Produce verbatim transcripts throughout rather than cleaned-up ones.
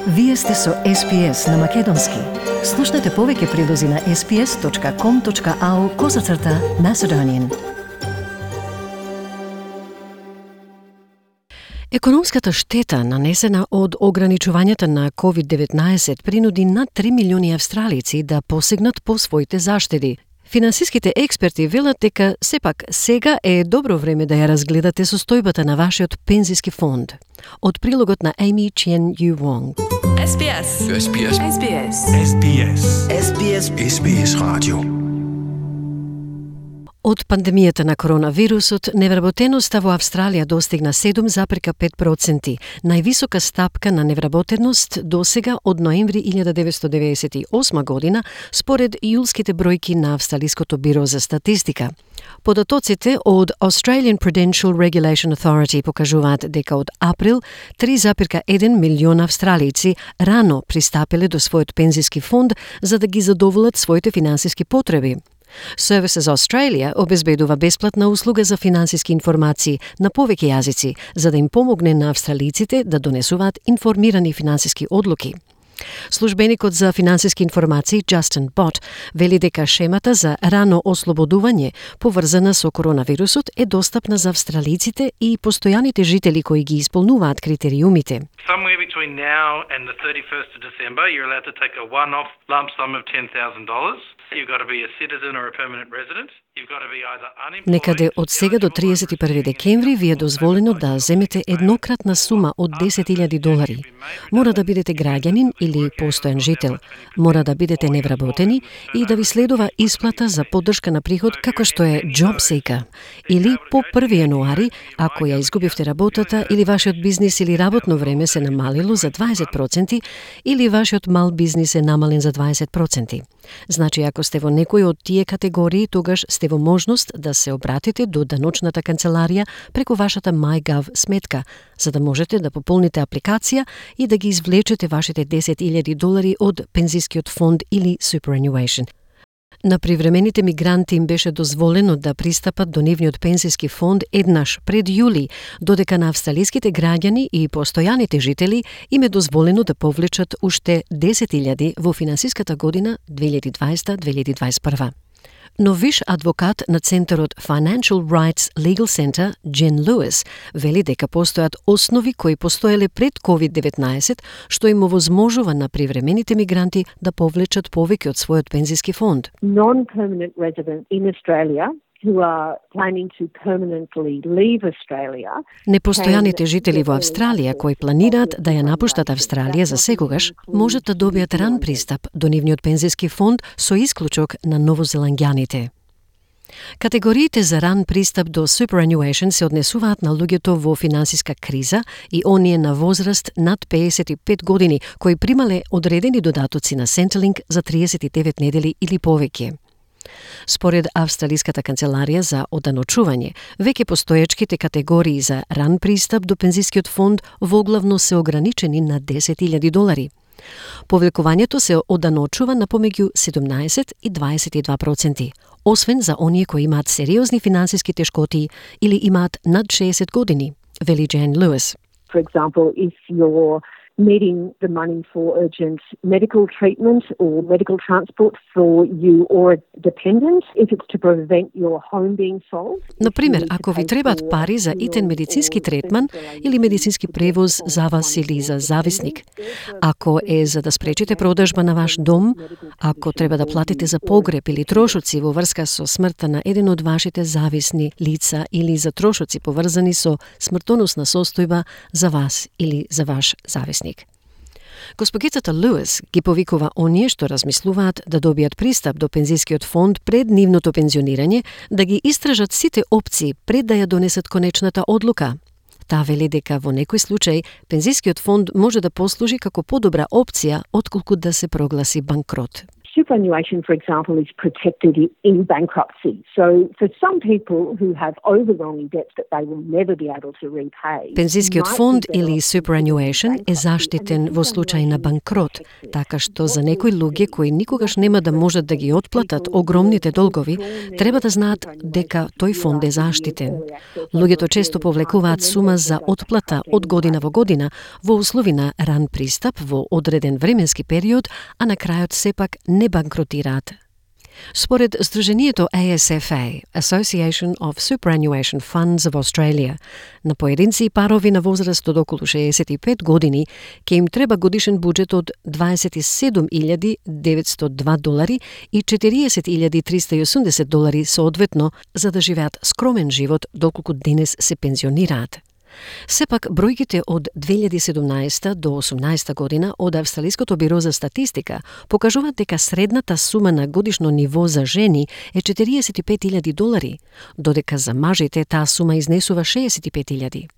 Вие сте со Ес Би Ес на Македонски. Слушнете повеќе прилози на ес би ес точка ком точка ау козацрта Macedonian. Економската штета нанесена од ограничувањата на ковид деветнаесет принуди над три милиони австралици да посегнат по своите заштеди. Финансиските експерти велат дека сепак сега е добро време да ја разгледате состојбата на вашиот пензиски фонд. Од прилогот на Amy Chen Yu Wong. Ес Би Ес. Ес Би Ес. Ес Би Ес. Ес Би Ес. Ес Би Ес. Ес Би Ес радио. Од пандемијата на коронавирусот, невработеноста во Австралија достигна седум запирка пет проценти, највисока стапка на невработеност досега од ноември илјада деветстотини деведесет и осма година, според јулските бројки на Австралиското биро за статистика. Податоците од Australian Prudential Regulation Authority покажуваат дека од април три запирка еден милиона австралици рано пристапиле до својот пензиски фонд за да ги задоволат своите финансиски потреби. Services Australia обезбедува бесплатна услуга за финансиски информации на повеќе јазици, за да им помогне на австралиците да донесуваат информирани финансиски одлуки. Службеникот за финансиски информации Justin Bott вели дека шемата за рано ослободување поврзана со коронавирусот е достапна за австралиците и постојаните жители кои ги исполнуваат критериумите. Somewhere between now and the thirty-first of December, you're allowed to take a one-off lump sum of ten thousand dollars. You've got to be a citizen or a permanent resident. You've got to be either unemployed. Некаде од сега до триесет и први декември ви е дозволено да земете еднократна сума од десет илјади долари. Мора да бидете граѓанин или постојан жител. Мора да бидете невработени и да ви следува исплата за поддршка на приход како што е JobSeeker. Или по први јануари, ако ја изгубивте работата или вашиот бизнис или работно време се намалило за дваесет проценти или вашиот мал бизнис е намален за дваесет проценти. Значи, ако сте во некој од тие категории, тогаш сте во можност да се обратите до даночната канцеларија преку вашата MyGov сметка, за да можете да пополните апликација и да ги извлечете вашите десет илјади долари од пензискиот фонд или superannuation. На привремените мигранти им беше дозволено да пристапат до нивниот пензиски фонд еднаш пред јули, додека на австралиските граѓани и постојаните жители им е дозволено да повлечат уште десет илјади во финансиската година две илјади дваесета две илјади дваесет и прва. Но виш адвокат на Центарот Financial Rights Legal Center, Jen Lewis, вели дека постојат основи кои постоеле пред ковид деветнаесет, што им овозможува на привремените мигранти да повлечат повеќе од својот пензиски фонд. Non-permanent residents in Australia who are planning to permanently leave Australia. Непостојаните жители во Австралија кои планираат да ја напуштат Австралија за секогаш, можат да добијат ран пристап до нивниот пензиски фонд со исклучок на новозеландјаните. Категориите за ран пристап до superannuation се однесуваат на луѓето во финансиска криза и оние на возраст над пеесет и пет години кои примале одредени додатоци на Centrelink за триесет и девет недели или повеќе. Според Австралиската канцеларија за оданочување, веќе постоечките категории за ран пристап до пензискиот фонд воглавно се ограничени на десет илјади долари. Повлекувањето се оданочува на помеѓу седумнаесет и дваесет и два проценти, освен за оние кои имаат сериозни финансиски тешкоти или имаат над шеесет години, вели Jen Lewis. For example, if you're needing the money for urgent medical treatment or medical transport for you or a dependent, if it's to prevent your home being sold. Например, ако ви требаат пари за итен медицински третман или медицински превоз за вас или за зависник, ако е за да спречите продажба на ваш дом, ако треба да платите за погреб или трошоци во врска со смртта на еден од вашите зависни лица или за трошоци поврзани со смртоносна состојба за вас или за ваш зависник. Госпогицата Луис ги повикува оние што размислуваат да добијат пристап до пензискиот фонд пред нивното пензионирање, да ги истражат сите опции пред да ја донесат конечната одлука. Таа вели дека во некој случај пензискиот фонд може да послужи како подобра опција отколку да се прогласи банкрот. Superannuation, for example, is protected in bankruptcy. So for some people who have overwhelming debts that they will never be able to repay. Пензискиот фонд или superannuation е заштитен во случај на банкрот, така што за некои луѓе кои никогаш нема да можат да ги отплатат огромните долгови, треба да знаат дека тој фонд е заштитен. Луѓето често повлекуваат сума за отплата од година во година во услови на ран пристап во одреден временски период, а на крајот сепак не банкротираат. Според Сдруженијето A S F A, Association of Superannuation Funds of Australia, на поединци и парови на возраст од околу шеесет и пет години ќе им треба годишен буџет од дваесет и седум илјади деветстотини и два долари и четириесет илјади триста и осумдесет долари соодветно за да живеат скромен живот доколку денес се пензионираат. Сепак, бројките од две илјади и седумнаесета до осумнаесета година од Австралиското биро за статистика покажуваат дека средната сума на годишно ниво за жени е четириесет и пет илјади долари, додека за мажите таа сума изнесува шеесет и пет илјади.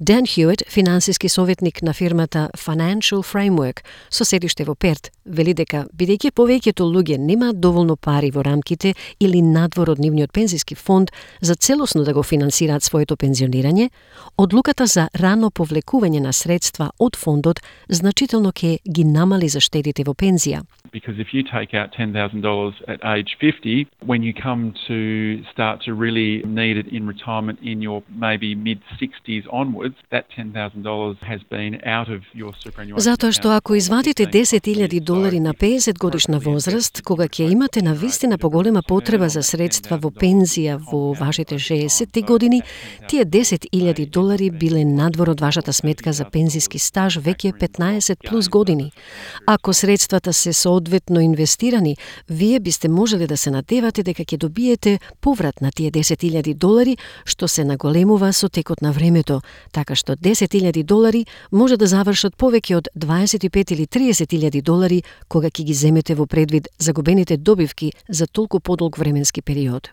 Дан Хјует, финансиски советник на фирмата Financial Framework со седиште во Перт, вели дека бидејќи повеќето луѓе немаат доволно пари во рамките или надвор од нивниот пензиски фонд за целосно да го финансираат своето пензионирање, одлуката за рано повлекување на средства од фондот значително ќе ги намали заштедите во пензија. Because if you take out ten thousand dollars at age fifty, when you come to start to really need it in retirement in your maybe mid-sixties onwards, that ten thousand dollars has been out of your superannuation. Затоа што ако извадите десет илјади долари на пеесет годишна возраст, кога ќе имате на вистина поголема потреба за средства во пензија во вашите шеесетти години, тие десет илјади долари биле надвор од вашата сметка за пензиски стаж веќе петнаесет плюс години. Ако средствата се соодветно инвестирани, вие бисте можеле да се надевате дека ќе добиете поврат на тие десет илјади долари, што се наголемува со текот на времето, така што десет илјади долари може да завршат повеќе од дваесет и пет или триесет илјади долари кога ќе ги земете во предвид загубените добивки за толку подолг временски период.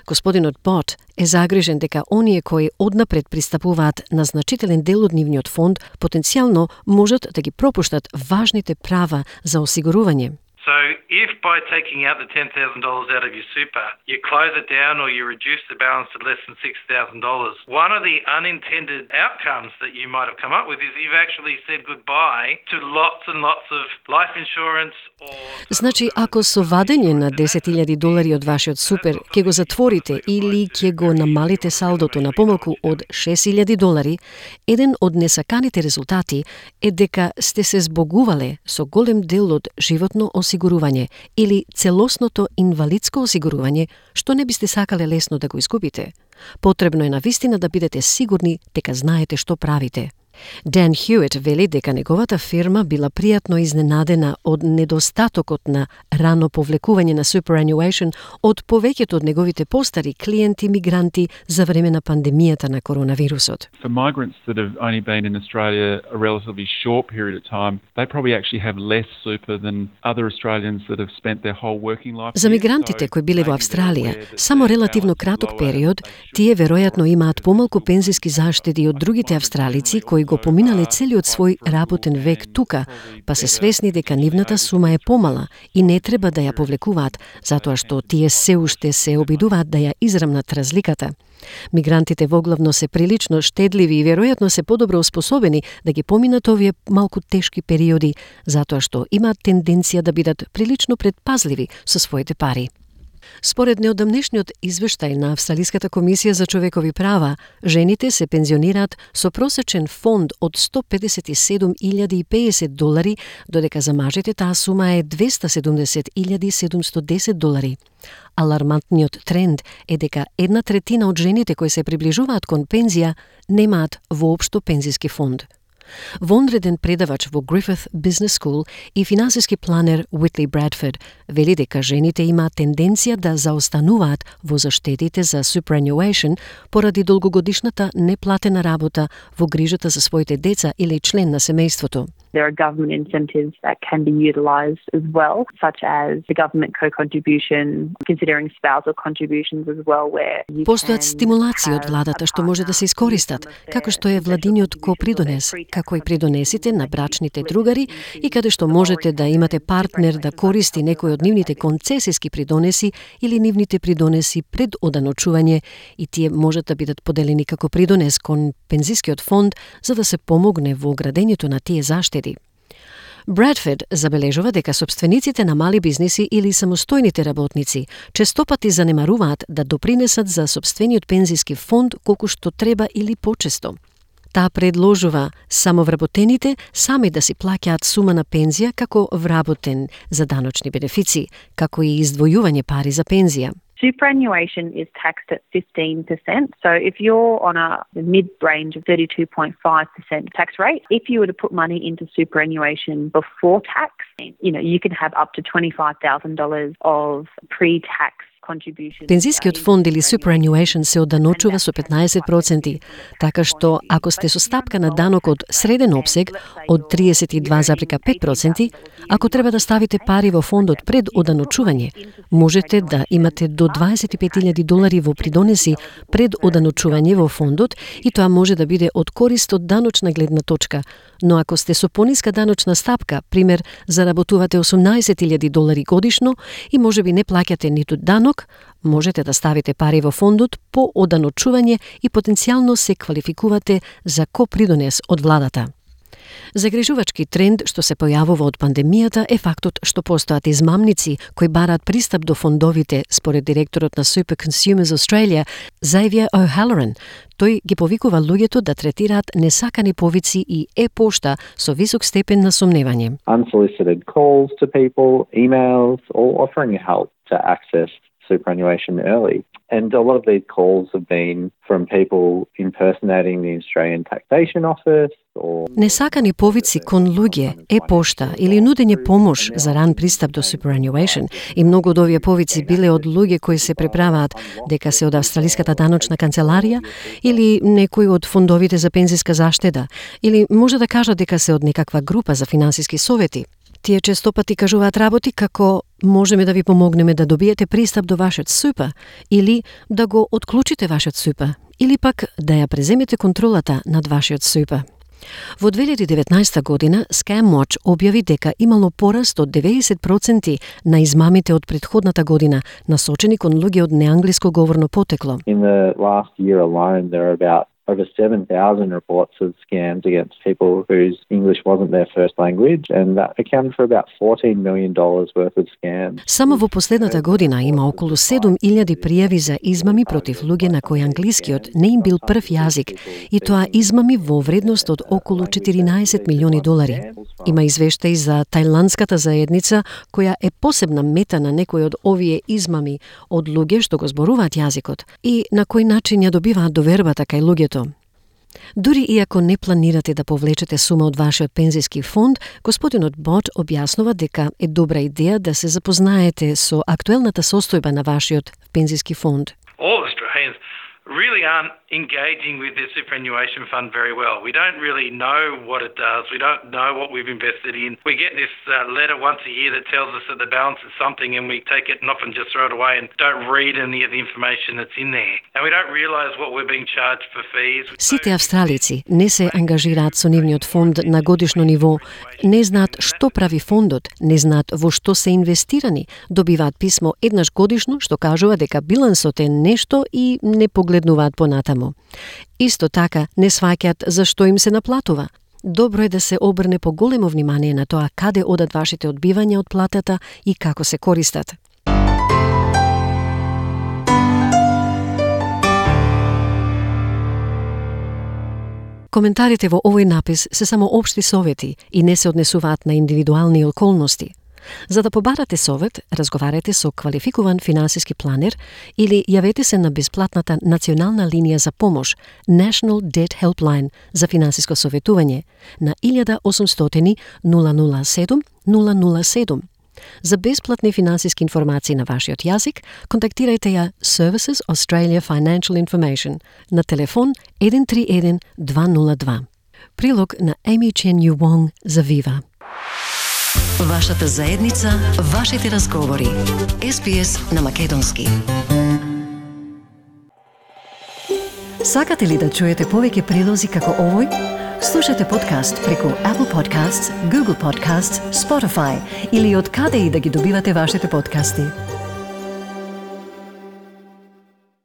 Господинот Бот е загрижен дека оние кои однапред пристапуваат на значителен дел од нивниот фонд потенцијално можат да ги пропуштат важните права за осигурување. So if by taking out the ten thousand dollars out of your super, you close it down or you reduce the balance to less than six thousand dollars, one of the unintended outcomes that you might have come up with is you've actually said goodbye to lots and lots of life insurance or... Значи, ако со вадење на десет илјади долари од вашиот супер ќе го затворите или ќе го намалите салдото на помалку од шест илјади долари, еден од несаканите резултати е дека сте се збогувале со голем дел од животно осигурување или целосното инвалидско осигурување, што не бисте сакале лесно да го изгубите. Потребно е навистина да бидете сигурни дека знаете што правите. Дан Хјует вели дека неговата фирма била пријатно изненадена од недостатокот на рано повлекување на superannuation од повеќето од неговите постари клиенти мигранти за време на пандемијата на коронавирусот. For migrants that have only been in Australia a relatively short period of time, they probably actually have less super than other Australians that have spent their whole working life. За мигрантите кои биле во Австралија само релативно краток период, тие веројатно имаат помалку пензиски заштеди од другите австралици кои го поминале целиот свој работен век тука, па се свесни дека нивната сума е помала и не треба да ја повлекуваат, затоа што тие се уште се обидуваат да ја израмнат разликата. Мигрантите воглавно се прилично штедливи и веројатно се подобро способени да ги поминат овие малку тешки периоди, затоа што имаат тенденција да бидат прилично предпазливи со своите пари. Според неодамнешниот извештај на Австралиската комисија за човекови права, жените се пензионираат со просечен фонд од сто педесет и седум илјади и песет долари, додека за мажите таа сума е двеста седумдесет илјади седумстотини и десет долари. Алармантниот тренд е дека една третина од жените кои се приближуваат кон пензија немаат воопшто пензиски фонд. Вонреден предавач во Griffith Business School и финансиски планер Уитли Брадфорд вели дека жените имаат тенденција да заостануваат во заштедите за superannuation поради долгогодишната неплатена работа во грижата за своите деца или член на семејството. There are government incentives that can be utilised as well, such as the government co-contribution, considering spousal contributions as well, where you Постојат can стимулации од have владата a што може да се искористат, како што е владиниот копридонес, како и придонесите на брачните другари и каде што можете да имате партнер да користи некој од нивните концесиски придонеси или нивните придонеси пред оданочување и тие можат да бидат поделени како придонес кон пензискиот фонд за да се помогне во градењето на тие заштеди. Брадфорд забележува дека собствениците на мали бизниси или самостојните работници честопати занемаруваат да допринесат за собствениот пензиски фонд колку што треба или почесто. Таа предложува само вработените сами да си плаќаат сума на пензија како вработен за даночни бенефиции, како и издвојување пари за пензија. Superannuation is taxed at fifteen percent. So if you're on a mid-range of thirty-two point five percent tax rate, if you were to put money into superannuation before tax, you know, you can have up to twenty-five thousand dollars of pre-tax. Пензискиот фонд или superannuation се оданочува со петнаесет проценти, така што ако сте со стапка на данок од среден опсег од тридесет и два зарез пет проценти, ако треба да ставите пари во фондот пред оданочување, можете да имате до дваесет и пет илјади долари во придонеси пред оданочување во фондот и тоа може да биде од корист од даночна гледна точка. Но ако сте со пониска даночна стапка, пример, заработувате осумнаесет илјади долари годишно и можеби не плаќате ниту данок, можете да ставите пари во фондот по оданочување и потенцијално се квалификувате за копридонес од владата. Загрижувачки тренд што се појавува од пандемијата е фактот што постојат измамници кои бараат пристап до фондовите, според директорот на Super Consumers Australia, Xavier O'Halloran. Тој ги повикува луѓето да третираат несакани повици и е-пошта со висок степен на сомневање. Unsolicited calls to people, emails, or offering help to access superannuation early. And a lot of these calls have been from people impersonating the Australian Taxation Office or... Несакани повици кон луѓе, е-пошта или нудење помош за ран пристап до superannuation и многу од овие повици биле од луѓе кои се преправаат дека се од Австралиската даночна канцеларија или некој од фондовите за пензиска заштеда или може да кажат дека се од некаква група за финансиски совети. Тие честопати кажуваат работи како можеме да ви помогнеме да добиете пристап до вашиот супа или да го отклучите вашиот супа или пак да ја преземете контролата над вашиот супа. Во две илјади и деветнаесета година ScamWatch објави дека имало пораст од деветдесет проценти на измамите од претходната година, насочени кон луѓе од неанглиско говорно потекло. In the last year alone, there are about over seven thousand reports of scams against people whose English wasn't their first language, and that accounted for about fourteen million dollars worth of scams. Само во последната година има околу седум илјади пријави за измами против луѓе на кои англискиот не им бил прв јазик, и тоа измами во вредност од околу четиринаесет милиони долари. Има извештаи за тајландската заедница, која е посебна мета на некои од овие измами од луѓе што го зборуваат јазикот и на кој начин ја добиваат довербата кај луѓето. Дури иако не планирате да повлечете сума од вашиот пензиски фонд, господинот Бот објаснува дека е добра идеја да се запознаете со актуелната состојба на вашиот пензиски фонд. All Australians really aren't engaging with their superannuation fund very well. We don't really know what it does. We don't know what we've invested in. We get this uh, letter once a year that tells us that the balance is something, and we take it and often just throw it away and don't read any of the information that's in there. And we don't realise what we're being charged for fees. Сите австралици не се ангажираат со нивниот фонд на годишно ниво, не знаат што прави фондот, не знаат во што се инвестирани, добиваат писмо еднаш годишно што кажува дека билансот е нешто и не погледнуваат понатаму. Исто така не сваќаат зашто им се наплатува. Добро е да се обрне поголемо внимание на тоа каде одат вашите одбивања од платата и како се користат. Коментарите во овој напис се само општи совети и не се однесуваат на индивидуални околности. За да побарате совет, разговарете со квалификуван финансиски планер или јавете се на бесплатната национална линија за помош National Debt Helpline за финансиско советување на илјада осумстотини нула нула седум нула нула седум. За бесплатни финансиски информации на вашиот јазик, контактирајте ја Services Australia Financial Information на телефон еден три еден два нула два. Прилог на Amy Chen Yu Wong за Viva. Вашата заедница, вашите разговори. Ес Би Ес на македонски. Сакате ли да чуете повеќе прилози како овој? Слушате подкаст преку Apple Podcasts, Google Podcasts, Spotify или од каде и да ги добивате вашите подкасти.